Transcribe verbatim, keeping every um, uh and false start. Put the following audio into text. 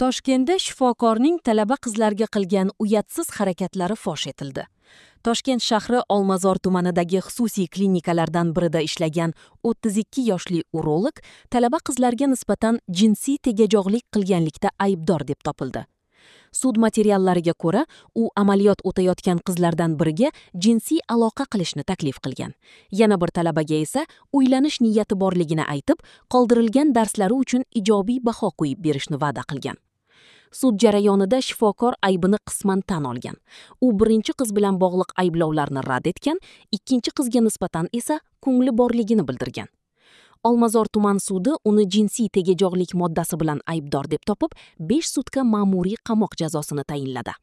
Toshkentda shifokorning talaba qizlarga qilgan uyatsiz harakatlari fosh etildi. Toshkent shahri Olmazor tumanidagi xususiy klinikalardan birida ishlagan o'ttiz ikki yoshli urolog talaba qizlarga nisbatan jinsiy tegajog'lik qilganlikda aybdor deb topildi. Sud materiallariga ko'ra, u amaliyot o'tayotgan qizlardan biriga jinsiy aloqa qilishni taklif qilgan. Yana bir talabaga esa uylanish niyati borligini aytib, qoldirilgan darslari uchun ijobiy baho qo'yib berishni va'da qilgan. Sud jarayonida shifokor aybini qisman tan olgan. U birinchi qiz bilan bog'liq ayblovlarni rad etgan, ikkinchi qizga nisbatan esa ko'ngli borligini bildirgan. Olmazor tuman sudi uni jinsiy tegajog'lik moddasi bilan aybdor deb topib, besh sutka ma'muriy qamoq jazosini tayinladi.